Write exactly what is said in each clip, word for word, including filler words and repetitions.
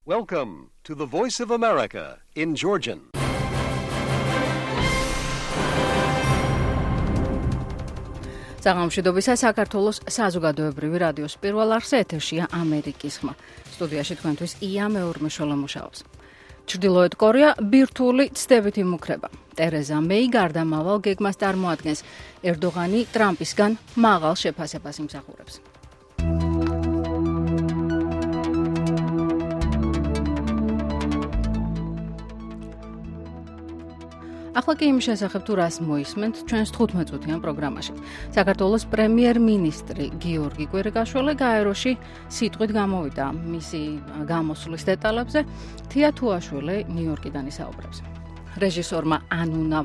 Welcome to the Voice of America in Georgian. საღამოშვიდობისა საქართველოს საზოგადოებრივი რადიოს პირველ არხზე ეთერშია ამერიკის ხმა. სტუდიაში თქვენთვის ია მეურმეშოლა მუშაობს. ჩრდილოეთ კორეა ბირთვული ცდებით იმუქრება. ტერეზა მეი გარდამავალ გეგმას წარმოადგენს. ერდოღანი ტრამპისგან მაღალ შეფასებას იმსახურებს. ახლა კი იმის შესახებ თუ რას მოისმენთ ჩვენს თხუთმეტ წუთიან პროგრამაში. საქართველოს პრემიერ-მინისტრი გიორგი კვირიკაშვილი გაეროში სიტყვით გამოვიდა მისი გამოსვლის დეტალებზე. თია თუაშვილი ნიუ-იორკიდან ისაუბრებს. რეჟისორმა ანუნა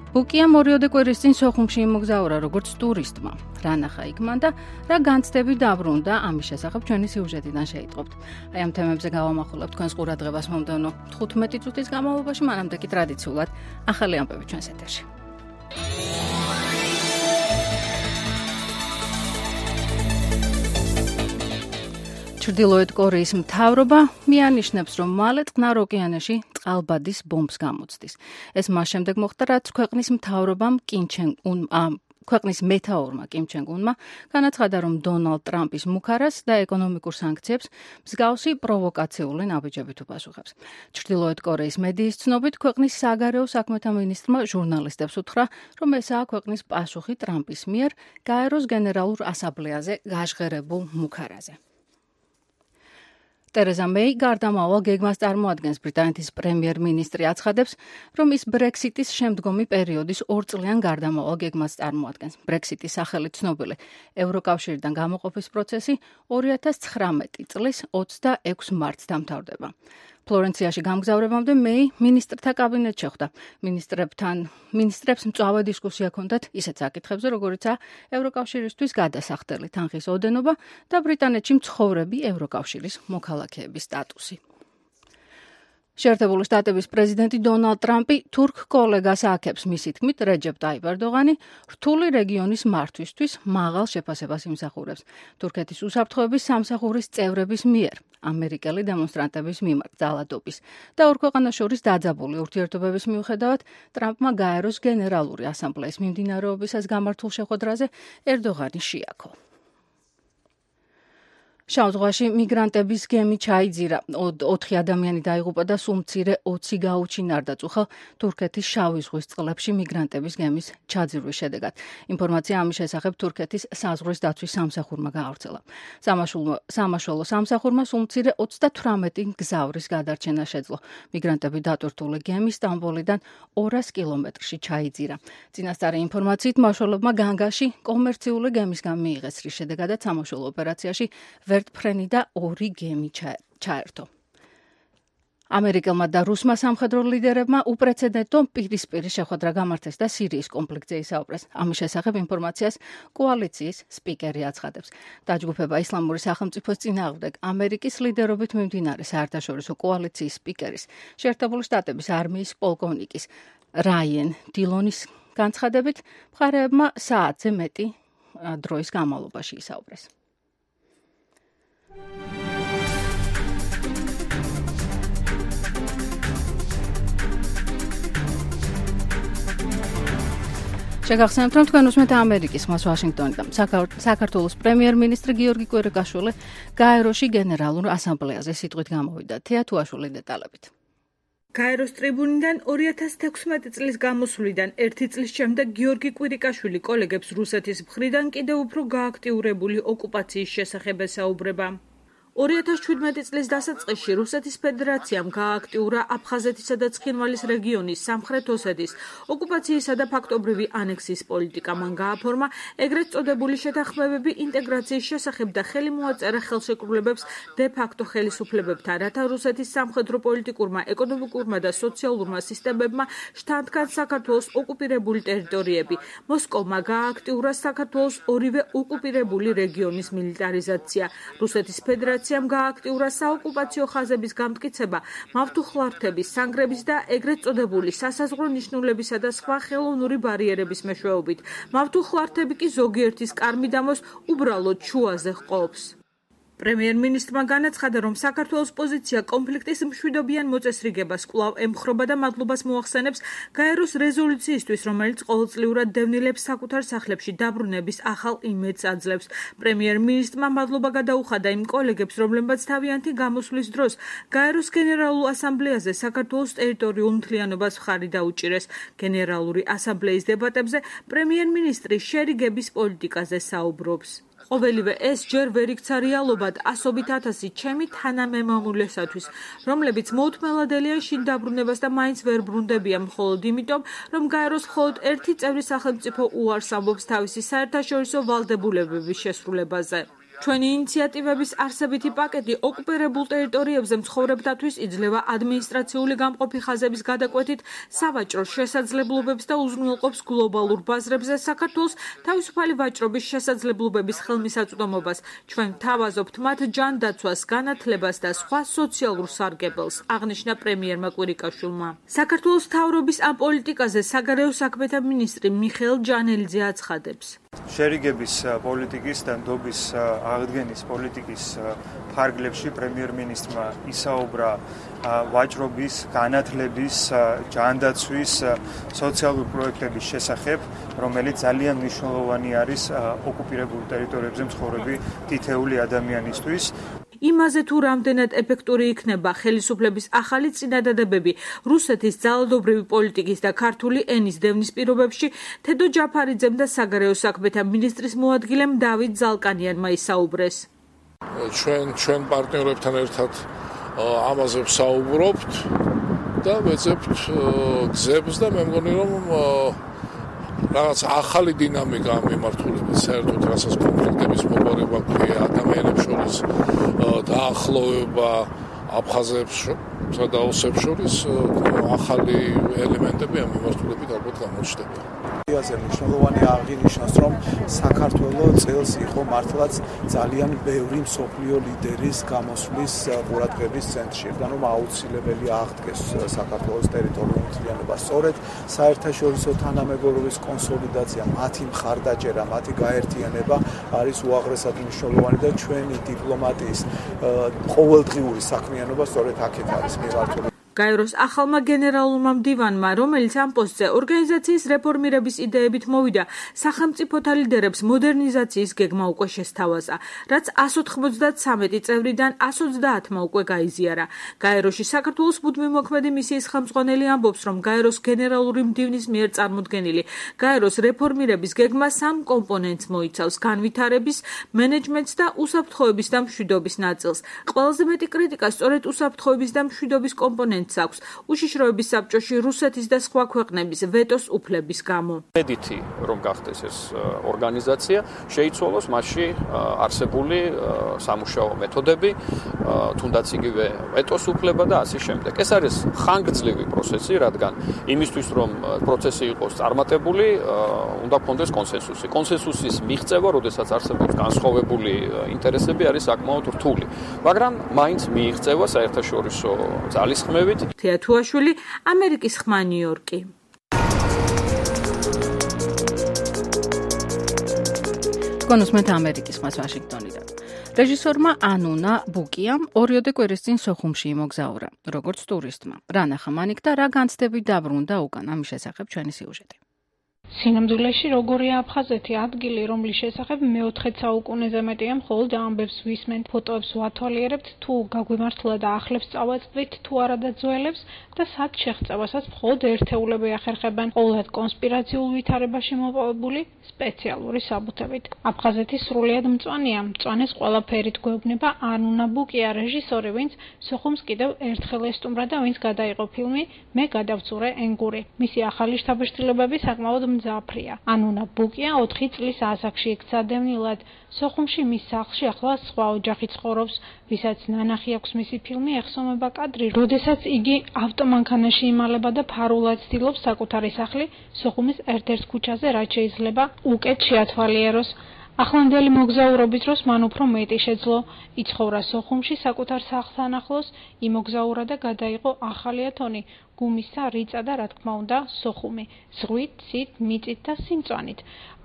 ბუკიამ ორიოდე კვირის წინ სოხუმში იმოგზაურა როგორც ტურისტმა. რა ნახა იქ მან და რა განცდები დაბრუნდა, ამის შესახებ ჩვენი სიუჟეტიდან შეიტყობთ. აი ამ თემებზე გავამახვილებთ თქვენს ყურადღებას მომდევნო თხუთმეტი წუთის განმავლობაში, მანამდე კი ტრადიციულად ახალი ამბები ჩვენს ეთერში. ჩრდილოეთ კორეის მთავრობა მიანიშნებს, რომ მალე წყნარ ოკეანეში წყალბადის ბომბს გამოცდის. ეს მას შემდეგ მოხდა, რაც ქვეყნის მთავრობამ კიმ ჩენ უნმა ქვეყნის მეთაურმა კიმ ჩენ უნმა განაცხადა, რომ დონალდ ტრამპის მუქარას და ეკონომიკურ სანქციებს მსგავსი პროვოკაციული ნაბიჯებით უპასუხებს. ჩრდილოეთ კორეის მედიის ცნობით, ქვეყნის საგარეო საქმეთა მინისტრმა ჟურნალისტებს უთხრა, რომ ესაა ქვეყნის პასუხი ტრამპის მიერ გაეროს გენერალურ ასამბლეაზე გაჟღერებულ მუქარაზე. ტერეზა მეი გარდამავალ გეგმას წარმოადგენს. ბრიტანეთის პრემიერ-მინისტრი აცხადებს, რომ ის ბრექსიტის შემდგომი პერიოდის ორწლიან გარდამავალ გეგმას წარმოადგენს. ბრექსიტის სახელით ცნობილი ევროკავშირიდან გამოყოფის პროცესი ორი ათას ცხრამეტი წლის ოცდაექვსი მარტს დამთავრდება. ფლორენციაში გამგზავრებამდე მეი მინისტრთა კაბინეტს შეხვდა. მინისტრებთან მინისტრებს მწვავე დისკუსია ჰქონდათ ისეთ საკითხებზე, როგორიცაა ევროკავშირისთვის გადასახდელი თანხის ოდენობა და ბრიტანეთში მცხოვრები ევროკავშირის მოქალაქეების სტატუსი. შეერთებული შტატების პრეზიდენტი დონალდ ტრამპი თურქ კოლეგას აქებს. მისი თქმით, რეჯეპ ტაიპ ერდოღანი რთული რეგიონის მართვისთვის მაღალ შეფასებას იმსახურებს. თურქეთის უსაფრთხოების სამსახურის წევრების მიერ ამერიკელი დემონსტრანტების მიმართ ძალადობის და ორ ქვეყანას შორის დაძაბული ურთიერთობების მიუხედავად, ტრამპმა გაეროს გენერალური ასამბლეის მიმდინარეობისას გამართულ შეხვედრაზე ერდოღანი შეაქო. შავ ზღვაში მიგრანტების გემი ჩაიძირა. ოთხი ადამიანი დაიღუპა და სულ მცირე ოცი გაუჩინარდა წუხელ თურქეთის შავი ზღვის წყლებში მიგრანტების გემის ჩაძირვის შედეგად. ინფორმაცია ამის შესახებ თურქეთის საზღვრის დაცვის სამსახურმა გაავრცელა. სამაშველო სამსახურმა სულ მცირე ოცდათვრამეტი მგზავრის გადარჩენა შეძლო. მიგრანტები დატვირთული გემი სტამბოლიდან ორას კილომეტრში ჩაიძირა. წინასწარი ინფორმაციით მაშველებმა განგაში კომერციული გემისგან მიიღეს, რის შედეგადაც სამაშველო ოპერაციაში ვერტფრენი და ორი გემი ჩაერთო. ამერიკელმა და რუსმა სამხედრო ლიდერებმა უპრეცედენტო პირისპირი შეხვედრა გამართეს და სირიის კონფლიქტზე ისაუბრეს. ამის შესახებ ინფორმაციას კოალიციის სპიკერი აცხადებს. დაჯგუფება ისლამური სახელმწიფოს წინააღმდეგ ამერიკის ლიდერობით მიმდინარე საერთაშორისო კოალიციის სპიკერის, შეერთებული შტატების არმიის პოლკოვნიკის რაიენ დილონის განცხადებით, მხარეებმა საათზე მეტი დროის განმავლობაში ისაუბრეს. შეგახსენებთ, რომ თქვენ უსმენთ ამერიკის ხმას ვაშინგტონიდან. საქართველოს პრემიერ-მინისტრი გიორგი კვირიკაშვილი გაეროში გენერალურ ასამბლეაზე სიტყვით გამოვიდა. თია თუაშვილი დეტალებით. გაეროს ტრიბუნიდან ორი ათას თექვსმეტი წლის გამოსვლიდან ერთი წლის შემდეგ გიორგი კვირიკაშვილი კოლეგებს რუსეთის მხრიდან კიდევ უფრო გააქტიურებული ოკუპაციის შესახებ ესაუბრება. ორი ათას ჩვიდმეტი წლის დასაწყისში რუსეთის ფედერაციამ გააქტიურა აფხაზეთისა და ცხინვალის რეგიონის სამხრეთ ოსეთის ოკუპაციისა და ფაქტობრივი ანექსიის პოლიტიკა. მან გააფორმა ეგრეთ წოდებული შეთანხმებები ინტეგრაციის შესახებ და ხელი მოაწერა ხელშეკრულებებს დე-ფაქტო ხელისუფლებებთან, რათა რუსეთის სამხედრო პოლიტიკურმა, ეკონომიკურმა და სოციალურმა სისტემებმა შთანთქან საქართველოს ოკუპირებული ტერიტორიები. მოსკოვმა გააქტიურა საქართველოს ორივე ოკუპირებული რეგიონის militarization. რუსეთის ფედერაცია ადმინისტრაციამ გააქტიურა საოკუპაციო ხაზების გამტკიცება, მავთუხლართების, სანგრების და ეგრეთ წოდებული სასაზღვრო ნიშნულებისა და სხვა ხელოვნური ბარიერების მეშვეობით. მავთუხლართები კი ზოგიერთის კარმიდამოს უბრალოდ შუაზე ჰყოფს. პრემიერ-მინისტრმა განაცხადა, რომ საქართველოს პოზიცია კონფლიქტის მშვიდობიან მოწესრიგებას კვლავ ემხრობა და მადლობას მოახსენებს გაეროს რეზოლუციისთვის, რომელიც ყოველწლიურად დევნილებს საკუთარ სახლებში დაბრუნების ახალ იმედს აძლევს. პრემიერ-მინისტრმა მადლობა გადაუხადა იმ კოლეგებს, რომლებმაც თავიანთი გამოსვლის დროს გაეროს გენერალურ ასამბლეაზე საქართველოს ტერიტორიულ მთლიანობას მხარი დაუჭირეს. გენერალური ასამბლეის დებატებზე პრემიერ-მინისტრი შერიგების პოლიტიკაზე საუბრობს. ყოველივე ეს ჯერ ვერ იქცა რეალობად ასობით ათასი ჩემი თანამემამულესათვის, რომლებიც მოუთმელადელია შინ დაბრუნებას და მაინც ვერ ბრუნდებიან მხოლოდ იმიტომ, რომ გაეროს მხოლოდ ერთი წევრი სახელმწიფო უარს ამბობს თავისი საერთაშორისო ვალდებულებების შესრულებაზე. ჩვენი ინიციატივების არსებითი პაკეტი ოკუპირებულ ტერიტორიებზე მცხოვრებთათვის იძლევა ადმინისტრაციული გამყოფი ხაზების გადაკვეთით სავაჭრო შესაძლებლობებს და უზრუნველყოფს გლობალურ ბაზრებზე საქართველოს თავისუფალი ვაჭრობის შესაძლებლობების ხელმისაწვდომობას. ჩვენ ვთავაზობთ მათ ჯანდაცვას, განათლებას და სხვა სოციალურ სარგებელს, აღნიშნა პრემიერმა კვირიკაშვილმა. საქართველოს მთავრობის ამ პოლიტიკაზე საგარეო საქმეთა მინისტრი მიხეილ ჯანელიძე აცხადებს. შერიგების პოლიტიკის და ნდობის აღდგენის პოლიტიკის ფარგლებში პრემიერ-მინისტრმა ისაუბრა ვაჭრობის, განათლების, ჯანდაცვის, სოციალური პროექტების შესახებ, რომელიც ძალიან მნიშვნელოვანი არის ოკუპირებულ ტერიტორიებზე მცხოვრები თითეული ადამიანისთვის. იმაზე თუ რამდენად ეფექტური იქნება ხელისუფლების ახალი წინადადებები რუსეთის ძალადობრივი პოლიტიკის და ქართული ენის დევნის პირობებში, თედო ჯაფარიძემ და საგარეო საქმეთა მინისტრის მოადგილემ დავით ზალკანიანმა ისაუბრეს. ჩვენ ჩვენ პარტნიორებთან ერთად ამაზე ვსაუბრობთ და ვეძებთ გზებს და მე მგონი რომ რაღაც ახალი დინამიკა ამ მიმართულებით საერთოდ რასაც კონფლიქტების მოპარება ქვია ადამიანებს შორის დაახლოვება აფხაზებსა და ოსებს შორის ახალი ელემენტები ამ მიმართულებით ალბათ გამოჩნდება. აზე მნიშვნელოვანი აღინიშნოს, რომ საქართველოს წელს იყო მართლაც ძალიან ბევრი მსოფლიო ლიდერის გამოსვლის ყურადღების ცენტრში, რადგან რომ აუცილებელი აღდგეს საქართველოს ტერიტორიული მთლიანობა. სწორედ საერთაშორისო თანამეგობრობის კონსოლიდაცია, მათი მხარდაჭერა, მათი გაერთიანება არის უაღრესად მნიშვნელოვანი და ჩვენი დიპლომატიის ყოველდღიური საქმიანობა სწორედ აქეთ არის მიმართული. გაეროს ახალმა გენერალურმა მდივანმა, რომელიც ამ პოსტზე ორგანიზაციის რეფორმირების იდეებით მოვიდა, სახელმწიფოთა ლიდერებს მოდერნიზაციის გეგმა უკვე შესთავაზა, რაც εκατს ოთხმოცდათსამეტი წევრიდან εκατს ოცდაათმა უკვე გაიზიარა. გაეროში საქართველოს მუდმივი მოქმედი მისიის ხელმძღვანელი ამბობს, რომ გაეროს გენერალური მდივნის მიერ წარმოდგენილი გაეროს რეფორმირების გეგმა სამ კომპონენტს მოიცავს: განვითარების, მენეჯმენტს და უსაფრთხოების და მშვიდობის ნაწილს. ყველაზე მეტი კრიტიკა სწორედ უსაფრთხოების და მშვიდობის კომპონენტს აქვს უშიშროების საბჭოში რუსეთის და სხვა ქვეყნების ვეტოს უფლების გამო. მედითი რომ გახდეს ეს ორგანიზაცია, შეიცვალოს მასში არსებული სამუშაო მეთოდები, თუნდაც იგივე ვეტოს უფლება და ასე შემდეგ. ეს არის ხანგრძლივი პროცესი, რადგან იმისთვის რომ პროცესი იყოს წარმატებული, უნდა გქონდეს კონსენსუსი. კონსენსუსის მიღწევა, როდესაც არსებობს განსხვავებული ინტერესები, არის საკმაოდ რთული. მაგრამ მაინც მიიღწევა საერთაშორისო ძალისხმევით. თეა თუაშვილი, ამერიკის ხმა, ნიუ-იორკი. კონუსმეთ ამერიკის ხმას ვაშინგტონიდან. რეჟისორმა ანუნა ბუკიამ ორიოდე კვირის წინ სოხუმში იმოგზაურა, როგორც ტურისტმა. რა ნახა მან იქ და რა განცდები დაბრუნდა უკან, ამის შესახებ ჩვენი სიუჟეტი. სინამდვილეში როგორია აფხაზეთი ადგილი, რომლის შესახებ მეოთხე საუკუნეზე მეტია მხოლოდ ამბებს ვისმენთ, ფოტოებს ვათვალიერებთ, თუ გაგვიმართლა და ახლებს წავაწყდით, თუ არა და ძველებს და სად შეღწევასაც მხოლოდ ერთეულები ახერხებენ, ყოველად კონსპირაციულ ვითარებაში მოპოვებული სპეციალური საბუთებით. აფხაზეთი სრულიად მწვანეა, მწვანეს ყველაფერით გვეუბნება ანუნა ბუკია, რეჟისორი, ვინც სოხუმს კიდევ ერთხელ ესტუმრა და ვინც გადაიღო ფილმი მე გადავწურე ენგური. მისი ახალი შთაბეჭდილებები საკმაოდ მძაფრია. ანუნა ბუკია ოთხი წლის ასაკში იქცა დევნილად. სოხუმში მის სახლში ახლა სხვა ოჯახი ცხოვრობს, ვისაც ნანახი აქვს მისი ფილმი ეხსომება კადრი, როდესაც იგი ავტომანქანაში იმალება და ფარულად ცდილობს საკუთარი სახლი სოხუმის ერთ-ერთ ქუჩაზე, რაც შეიძლება უკეთ შეათვალიეროს. ახლანდელი მოგზაურობის დროს მან უფრო მეტი შეძლო, იცხოვრა სოხუმში საკუთარ სახლთან ახლოს, იმოგზაურა და გადაიღო ახალი ათონი, გუმისა, რიწა და რა თქმა უნდა, სოხუმი, ზღვით, ცით, მიწით და სიმწვანით.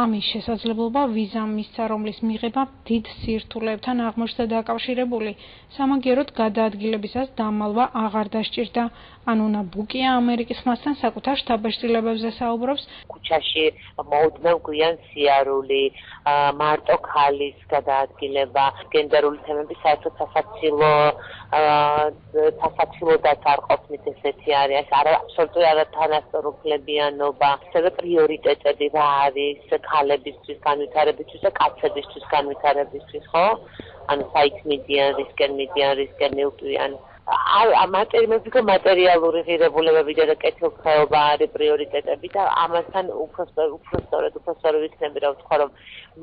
ამის შესაძლებლობა ვიზამ მისცა, რომლის მიღება დიდ სირთულეებთან აღმოჩნდა დაკავშირებული. სამაგიეროდ გადაადგილებისას დამალვა აღარ დასჭირდა. ანუნა ბუკია ამერიკის ხმასთან საკუთარ შთაბეჭდილებებზე საუბრობს. ქუჩაში მოუდმევ გვიან სიარული, მარტო ქალის გადაადგილება, გენდერული თემები საერთოდ სასაცილო სასაცილო დაწარყოფით ესეთი არის, არა აბსოლუტური არათანასწორუფლებიანობა, ასევე პრიორიტეტები რა არის ქალებისთვის განვითარებისთვის და კაცებისთვის განვითარებისთვის, ხო? ანუ საით მიდიან, რისკენ მიდიან, რისკენ მივტვიან. მატერიალური მატერიალური ღირებულებები და კეთილდღეობა არის პრიორიტეტები და ამასთან უფრო უფრო სწორედ უფრო სწორი ვიქნები რა ვთქვა რომ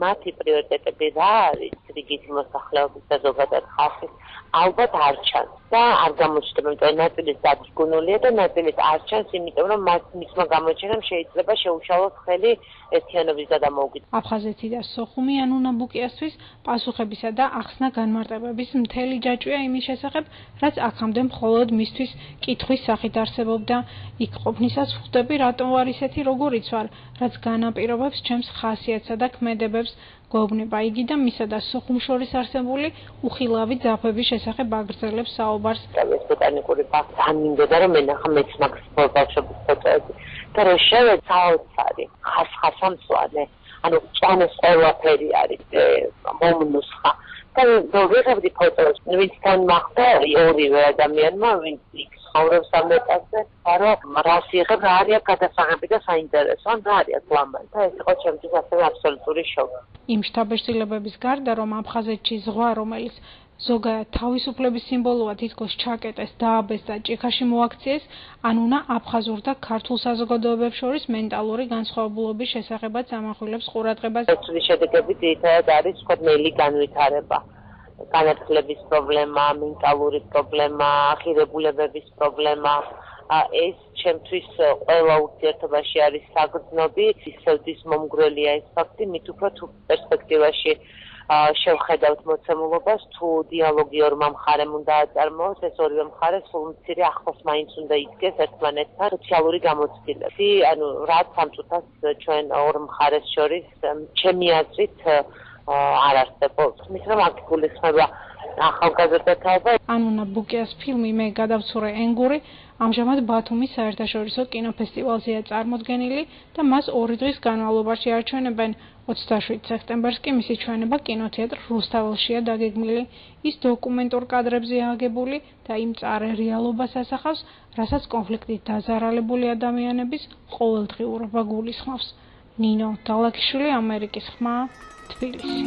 მათი პრიორიტეტები რა არის რიგით მოსახლეობის და ზოგადად ხალხის ალბათ არ ჩანს და არ გამოჩნდება იმიტომ ნაწილის დაგიგუნულია და ნაწილის არ ჩანს იმიტომ რომ მას მისმა გამოჩენამ შეიძლება შეუშალოს ხელი ერთიანობის და დამოუკიდებლობის. აფხაზეთი და სოხუმი ანუნა ბუკიასთვის პასუხებისა და ახსნა განმარტებების მთელი ჯაჭვია იმის შესახებ, რაც აქამდე მხოლოდ მისთვის კითხვის სახით არსებობდა. იქ ყოფნისას ვხვდები, რატომ ვარ ისეთი, როგორიც ვარ, რაც განაპირობებს ჩემს ხასიათსა და ქმედებებს. გვეუბნება იგი და მისა და სოხუმ შორის არსებული უხილავი ძაფების შესახებ აგრძელებს საუბარს. ეს ბოტანიკური ბაღი ან მინდოდა რომ ენახა მეც მაგ ბავშვების ფოტოები და რო შევეც საოცარი ხასხასამწვანე ანუ წვანეს ყველაფერი არის მომნუსხა და რო ვიღებდი ფოტოს ვინცთან მახდა ორივე ადამიანმა ვინც იქ ცხოვრობს ამ ეტაპზე რომ რას იღებ რა არის გადასაღები და საინტერესო ან რა არის ლამაზი და ეს იყო ჩემთვის ასევე აბსოლუტური შოკი. იმ შთაბეჭდილებების გარდა რომ აფხაზეთში ზღვა რომელიც ზოგადად თავისუფლების სიმბოლოა თითქოს ჩაკეტეს, დააბეს და ჭიქაში მოაქციეს, ანუნა აფხაზურ და ქართულ საზოგადოებებს შორის მენტალური განსხვავებულობის შესახებაც ამახვილებს ყურადღებას. ეს შედეგები ძირითადად არის თქვა ნელი განვითარება. განათლების პრობლემა, მენტალური პრობლემა, ღირებულებების პრობლემა. ეს ჩემთვის ყველა ურთიერთობაში არის საგრძნობი, ისევ მომგვრელია ეს ფაქტი, მით უფრო თუ პერსპექტივაში შევხედავთ მოცემულობას, თუ დიალოგი ორმა მხარემ უნდა აწარმოოს, ეს ორივე მხარე სულ მცირე ახლოს მაინც უნდა იდგეს ერთმანეთთან სოციალური გამოცდილება. ანუ რაც ამ წუთას ჩვენ ორ მხარეს შორის ჩემი აზრით არ არსებობს. მის რომ აქ გულისხმება ახალგაზრდათა. ანუნა ბუკიას ფილმი მე გადავცურე ენგური ამჟამად ბათუმის საერთაშორისო კინოფესტივალზეა წარმოდგენილი და მას ორი დღის განმავლობაში არჩვენებენ. ოცდაშვიდ სექტემბერს კი მისი ჩვენება კინოთეატრ რუსთაველშია დაგეგმილი. ის დოკუმენტურ კადრებზეა აგებული და იმ მწარე რეალობას ასახავს, რასაც კონფლიქტით დაზარალებული ადამიანების ყოველდღიურობა გულისხმობს. ნინო დალაქიშვილი, ამერიკის ხმა, თბილისი.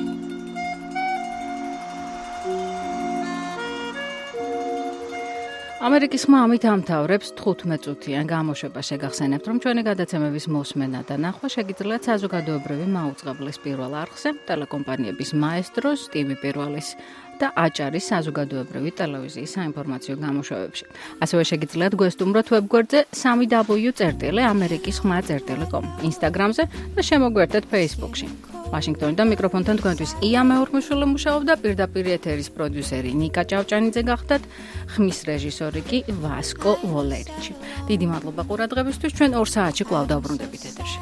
ამერიკის ხმა ამით ამთავრებს თხუთმეტ წუთიან გამოშვებას. შეგახსენებთ, რომ ჩვენი გადაცემების მოსმენა და ნახვა შეგიძლიათ საზოგადოებრივი მაუწყებლის პირველ არხზე, ტელეკომპანიების მაესტროს, ტივი პირველის და აჭარის საზოგადოებრივი ტელევიზიის საინფორმაციო გამოშვებებში. ასევე შეგიძლიათ გვესტუმროთ ვებგვერდზე სამი დაბლიუ წერტილი ამერიკის ხმა წერტილი კომ, ინსტაგრამზე და შემოგვერთეთ ფეისბუქში. ვაშინგტონიდან მიკროფონთან თქვენთვის ია მეორმოშვილი მუშაობდა, პირდაპირ ეთერის პროდიუსერი ნიკა ჭავჭანიძე გახდათ, ხმის რეჟისორი კი ვასკო ვოლერიჩი. დიდი მადლობა ყურადღებისთვის, ჩვენ ორ საათში კვლავ დავბრუნდებით ეთერში.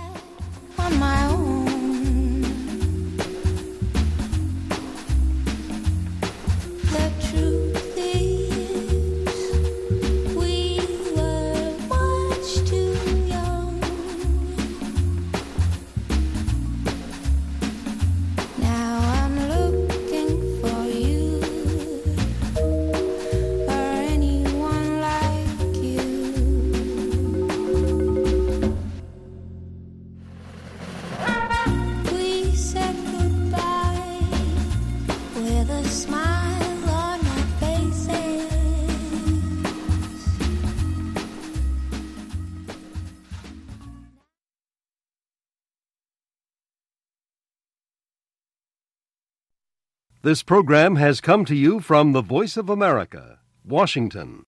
This program has come to you from the Voice of America, Washington.